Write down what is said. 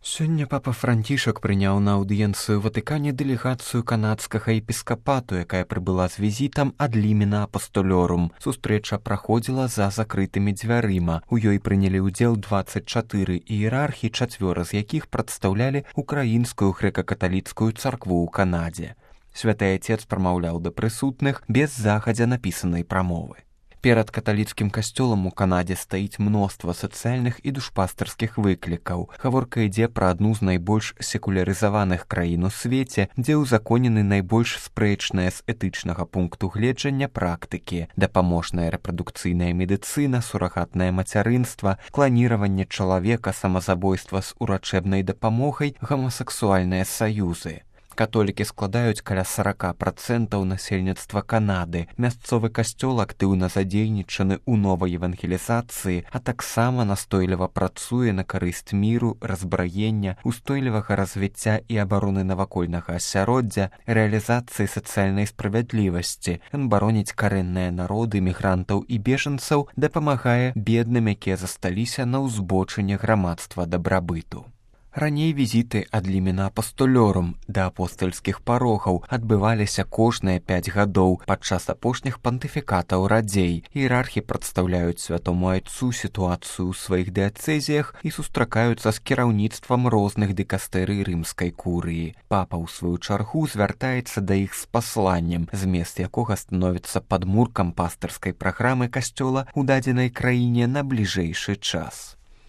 Сёння папа Францішак прыняў на аўдыенцыю Ватыкане дэлегацыю канадскага епіскапату, якая прыбыла з візітам ад Лімена Апостолёрум. Сустрэча праходзіла за закрытымі дзвярыма. У ёй прынялі ўдзел 24 іерархі, 4 з якіх прадстаўлялі украінскую грэка-каталіцкую царкву ў Канадзе. Святы Отец прамаўляў да прысутных без загадзя напісанай прамовы. Перад каталіцкім касцёлам у Канадзе стаіць мноства сацыяльных і душпастарскіх выклікаў. Гаворка ідзе пра адну з найбольш секулярызаваных краін у свеце, дзе ўзаконены найбольш спрэчныя з этычнага пункту гледжання практыкі: дапаможная рэпрадукцыйная медыцына, сурагатнае мацярынства, кланіраванне чалавека, самазабойства з урачэбнай дапамогай, гамасексуальныя саюзы. Католікі складаюць каля 40% насельніцтва Канады. Мясцовы касцёл актыўна задзейнічаны ў новай евангелізацыі, а таксама настойліва працуе на карысць міру, разбраення, устойлівага развіцця і абароны навакольнага асяроддзя, рэалізацыі сацыяльнай справядлівасці. Ён бароніць карэнныя народы, мігрантаў і бежанцаў, дапамагае бедным, якія засталіся на ўзбочыне грамадства дабрабыту. Раней візіты ад Лімена Апостолёрум да апостальскіх парогаў адбываліся кожныя 5 гадоў падчас апошніх пантыфікатаў радзей. Іерархі прадстаўляюць святому айцу сітуацыю ў сваіх дыяцэзіях і сустракаюцца з кіраўніцтвам розных дыкастэрый рымскай курыі. Папа ў сваю чаргу звяртаецца да іх з пасланнем, змест якога становіцца падмуркам пастырскай праграмы касцёла ў дадзенай краіне на бліжэйшы час.